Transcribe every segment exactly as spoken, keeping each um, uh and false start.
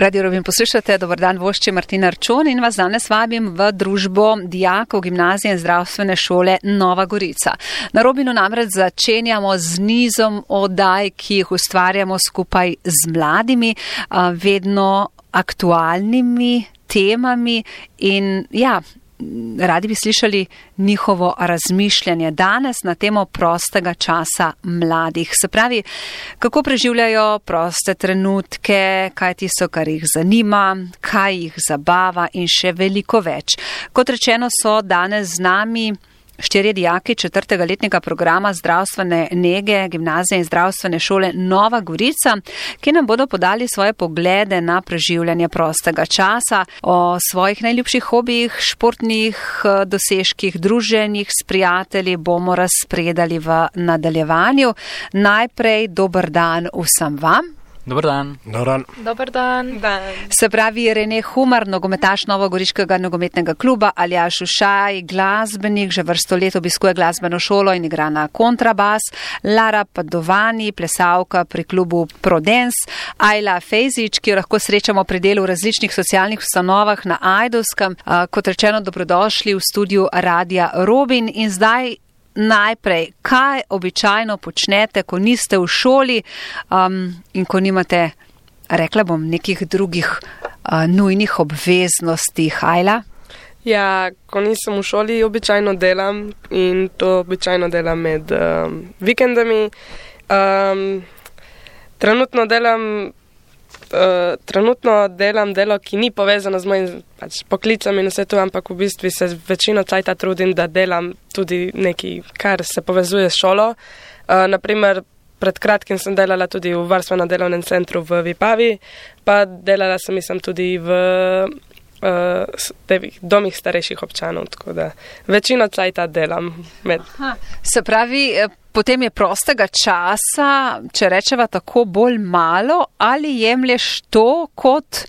Radio Robin poslušate, dober dan, vošči Martina Arčon in vas danes vabim v družbo dijakov gimnazije in zdravstvene šole Nova Gorica. Na Robinu namreč začenjamo z nizom oddaj, ki jih ustvarjamo skupaj z mladimi, vedno aktualnimi temami in ja, radi bi slišali njihovo razmišljanje danes na temo prostega časa mladih. Se pravi, kako preživljajo proste trenutke, kaj tisto, kar jih zanima, kaj jih zabava in še veliko več. Kot rečeno, so danes z nami štirje dijaki četrtega letnega programa zdravstvene nege gimnazije in zdravstvene šole Nova Gorica, ki nam bodo podali svoje poglede na preživljanje prostega časa, o svojih najljubših hobijih, športnih dosežkih, druženjih s prijatelji bomo razpredali v nadaljevanju. Najprej dober dan vsem vam. Dobar dan. Dobar dan. Dobar dan. dan. Se pravi Rene Humar, nogometaš Novogoriškega nogometnega kluba, Aljaž Ušaj, glasbenik, že vrsto let obiskuje glasbeno šolo in igra na kontrabas, Lara Padovani, plesalka pri klubu Prodens, Ajla Fejzič, ki jo lahko srečamo pri delu v različnih socialnih ustanovah na Ajdovskem. Kot rečeno, dobrodošli v studiu Radia Robin in zdaj najprej, kaj običajno počnete, ko niste v šoli um, in ko nimate, rekla bom, nekih drugih uh, nujnih obveznosti. Hajla? Ja, ko nisem v šoli, običajno delam in to običajno delam med um, vikendami. Um, trenutno delam Uh, trenutno delam delo, ki ni povezano z mojim pač, poklicem in vse to, ampak v bistvu se večino cajta trudim, da delam tudi nekaj, kar se povezuje s šolo. Uh, naprimer, pred kratkim sem delala tudi v varstveno-delovnem centru v Vipavi, pa delala sem mislim tudi v uh, domih starejših občanov, tako da večino cajta delam. Med. Aha, se pravi, potem je prostega časa, če rečeva tako, bolj malo, ali jemlješ to kot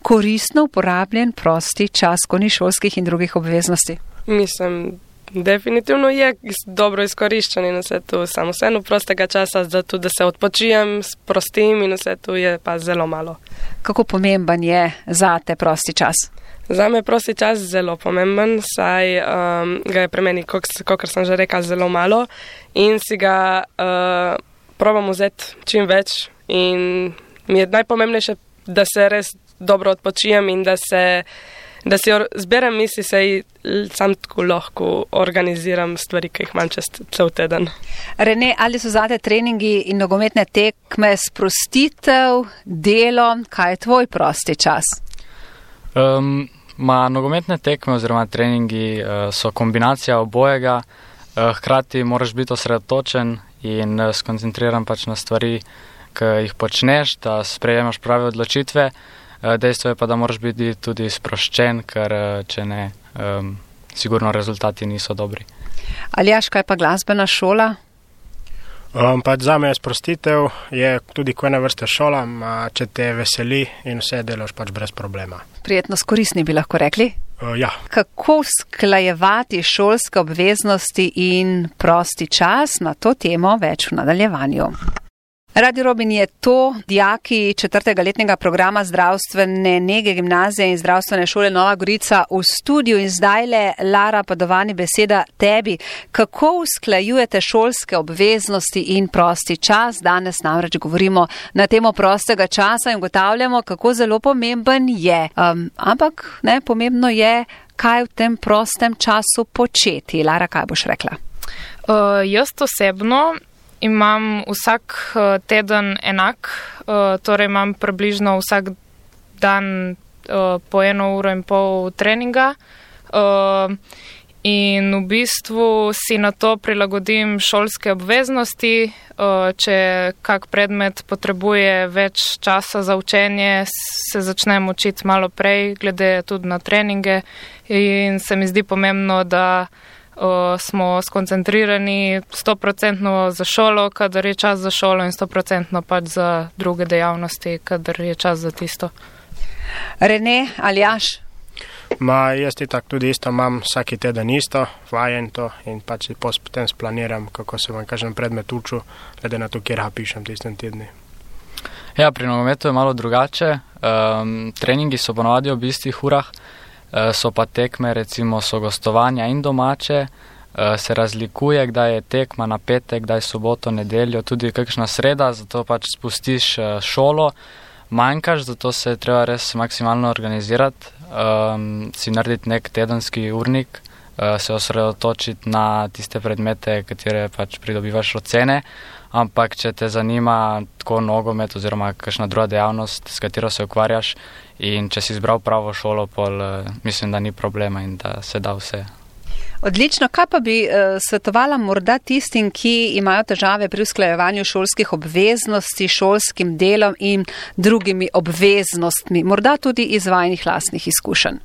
koristno uporabljen prosti čas, ko ni šolskih in drugih obveznosti? Mislim, definitivno je dobro izkoriščen in vse to, samo vseeno prostega časa, zato da se odpočijem, sprostim in vse to je pa zelo malo. Kako pomemben je za te prosti čas? Za me je prosti čas zelo pomemben, saj um, ga je pri meni, kakor sem že rekla, zelo malo in si ga uh, probam vzeti čim več in mi je najpomembnejše, da se res dobro odpočijem in da, se, da si or- zberem misli, saj sam tako lahko organiziram stvari, ki jih imam čez cel teden. Rene, ali so zate treningi in nogometne tekme sprostitev, delo, kaj je tvoj prosti čas? Um, ma nogometne tekme oziroma treningi uh, so kombinacija obojega, uh, hkrati moraš biti osredotočen in uh, skoncentriran pač na stvari, ki jih počneš, da sprejemaš prave odločitve. Uh, dejstvo je pa, da moraš biti tudi sproščen, ker uh, če ne, um, sigurno rezultati niso dobri. Aljaž, kaj pa glasbena šola? Um, pač za me je sprostitev, je tudi ko ena vrsta šola, če te veseli in vse delaš pač brez problema. Prijetno skorisni bi lahko rekli? Uh, ja. Kako sklajevati šolske obveznosti in prosti čas? Na to temo več v nadaljevanju. Radio Robin je to, dijaki četrtega letnega programa zdravstvene nege gimnazije in zdravstvene šole Nova Gorica v studiu in zdajle Lara Padovani beseda tebi. Kako usklajujete šolske obveznosti in prosti čas? Danes namreč govorimo na temo prostega časa in ugotavljamo, kako zelo pomemben je. Um, ampak ne, pomembno je, kaj v tem prostem času početi. Lara, kaj boš rekla? Uh, jaz osebno imam vsak teden enak, torej imam približno vsak dan po eno uro in pol treninga in v bistvu si na to prilagodim šolske obveznosti. Če kak predmet potrebuje več časa za učenje, se začnem učiti malo prej, glede tudi na treninge in se mi zdi pomembno, da Uh, smo skoncentrirani sto procentno za šolo, kadar je čas za šolo in sto procentno pač za druge dejavnosti, kadar je čas za tisto. Rene, Aljaž? Ma, jaz itak tudi isto imam vsaki teden isto, vajen to in pač si potem splaniram, kako se vam kažem predmet učil, glede na to, kjer ga pišem tistem tedni. Ja, pri nogometu je malo drugače. Um, treningi so ponovadi ob istih urah, uh, so pa tekme, recimo so gostovanja in domače. Uh, se razlikuje, kdaj je tekma na petek, kdaj soboto, nedeljo, tudi kakšna sreda, zato pač spustiš uh, šolo, manjkaš, zato se treba res maksimalno organizirati, um, si narediti nek tedenski urnik, uh, se osredotočiti na tiste predmete, katere pač pridobivaš ocene, ampak če te zanima tako nogomet oziroma kakšna druga dejavnost, s katero se ukvarjaš in če si izbral pravo šolo, pol uh, mislim, da ni problema in da se da vse. Odlično, kaj pa bi uh, svetovala morda tistim, ki imajo težave pri usklajevanju šolskih obveznosti, šolskim delom in drugimi obveznostmi, morda tudi iz vajnih lastnih izkušenj?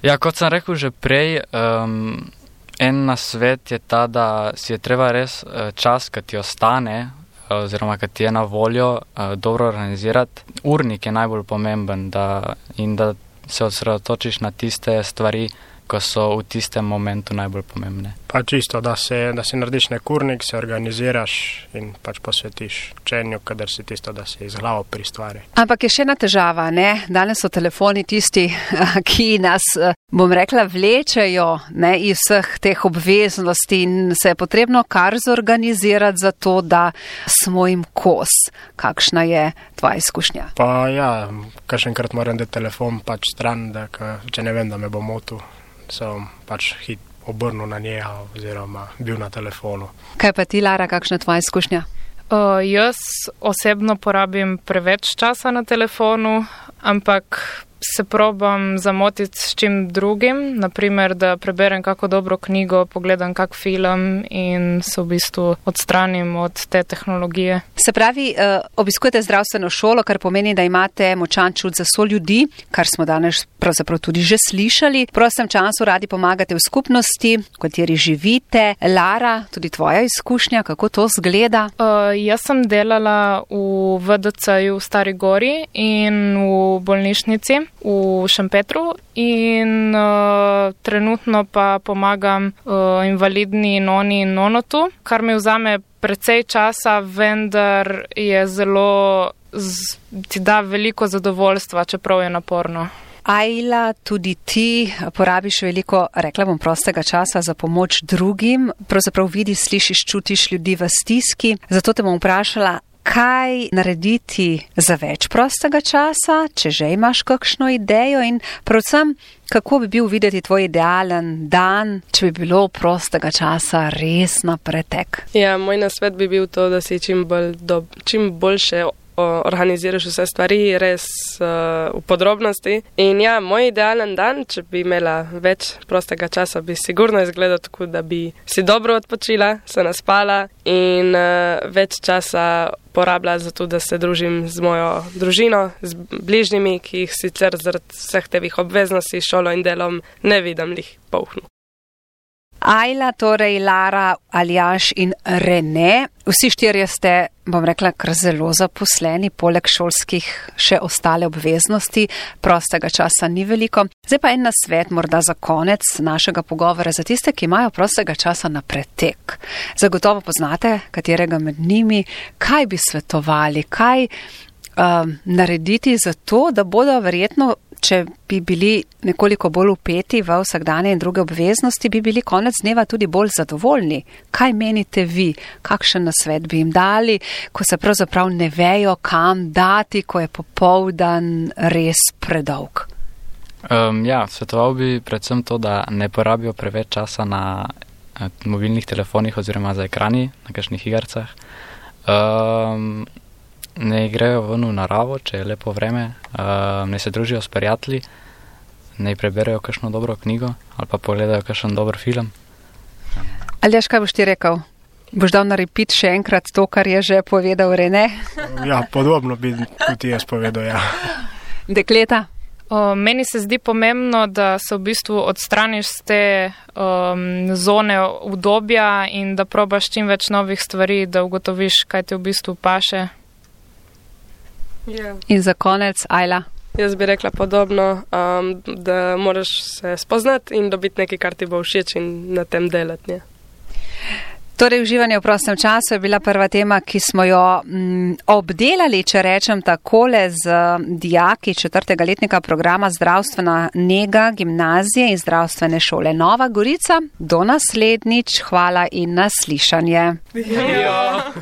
Ja, kot sem rekel že prej, um, en nasvet je ta, da si je treba res uh, čas, ki ti ostane, uh, oziroma ki ti je na voljo, uh, dobro organizirati. Urnik je najbolj pomemben da, in da se osredotočiš na tiste stvari, ko so v tistem momentu najbolj pomembne. Pa čisto, da, se, da si narediš nek urnik, se organiziraš in pač posvetiš učenju, kadar si tisto, da si iz glavo pri stvari. Ampak je še ena težava, ne? Danes so telefoni tisti, ki nas, bom rekla, vlečejo, ne, iz vseh teh obveznosti in se je potrebno kar zorganizirati za to, da smo jim kos. Kakšna je tvoja izkušnja? Pa ja, kakšenkrat moram dati telefon pač stran, da ka, če ne vem, da me bo motil, sem pač hit obrnil na njega oziroma bil na telefonu. Kaj pa ti, Lara, kakšna je tvoja izkušnja? Uh, jaz osebno porabim preveč časa na telefonu, ampak se probam zamotiti s čim drugim, naprimer, da preberem kako dobro knjigo, pogledam kak film in se v bistvu odstranim od te tehnologije. Se pravi, obiskujete zdravstveno šolo, kar pomeni, da imate močan čut za soljudi, kar smo danes pravzaprav tudi že slišali. V prostem času radi pomagate v skupnosti, v kateri živite. Lara, tudi tvoja izkušnja, kako to zgleda? Uh, jaz sem delala v V D C-ju v Stari Gori in v bolnišnici v Šempetru in uh, trenutno pa pomagam uh, invalidni noni in nonotu, kar mi vzame precej časa, vendar je zelo, z, ti da veliko zadovoljstva, čeprav je naporno. Ajla, tudi ti porabiš veliko, rekla bom, prostega časa za pomoč drugim. Pravzaprav vidiš, slišiš, čutiš ljudi v stiski. Zato te bom vprašala, kaj narediti za več prostega časa, če že imaš kakšno idejo in predvsem, kako bi bil videti tvoj idealen dan, če bi bilo prostega časa res na pretek? Ja, moj nasvet bi bil to, da si čim, bolj do, čim boljše organiziraš vse stvari, res uh, v podrobnosti. In ja, moj idealen dan, če bi imela več prostega časa, bi sigurno izgledal tako, da bi si dobro odpočila, se naspala in uh, več časa porabila za to, da se družim z mojo družino, z bližnjimi, ki jih sicer zaradi vseh tevih obveznosti, šolo in delom ne vidim lih polhnu. Ajla, torej Lara, Aljaž in Rene. Vsi štirje ste, bom rekla, kar zelo zaposleni, poleg šolskih še ostale obveznosti, prostega časa ni veliko. Zdaj pa en nasvet morda za konec našega pogovora za tiste, ki imajo prostega časa na pretek. Zagotovo poznate katerega med njimi, kaj bi svetovali, kaj um, narediti za to, da bodo verjetno, če bi bili nekoliko bolj upeti v vsakdanje in druge obveznosti, bi bili konec dneva tudi bolj zadovoljni. Kaj menite vi? Kakšen nasvet bi jim dali, ko se pravzaprav ne vejo, kam dati, ko je popoldan res predolg? Um, ja, svetoval bi predvsem to, da ne porabijo preveč časa na uh, mobilnih telefonih oziroma za ekrani, na kakšnih igracah. Um, Ne grejo ven v naravo, če je lepo vreme, uh, ne se družijo s prijatelji, ne preberejo kakšno dobro knjigo ali pa pogledajo kakšen dober film. Aljaž, kaj boš ti rekel? Boš dal na repeat še enkrat to, kar je že povedal Rene? Ja, podobno bi tudi jaz povedal, ja. Dekleta? O, meni se zdi pomembno, da se v bistvu odstraniš z te um, zone udobja in da probaš čim več novih stvari, da ugotoviš, kaj ti v bistvu paše. Yeah. In za konec, Ajla? Jaz bi rekla podobno, um, da moraš se spoznati in dobiti nekaj, kar ti bo všeč in na tem delati. Ne? Torej, uživanje v prostem času je bila prva tema, ki smo jo m, obdelali, če rečem takole, z dijaki četrtega letnika programa Zdravstvena nega gimnazije in zdravstvene šole Nova Gorica. Do naslednjič, hvala in naslišanje. Ja.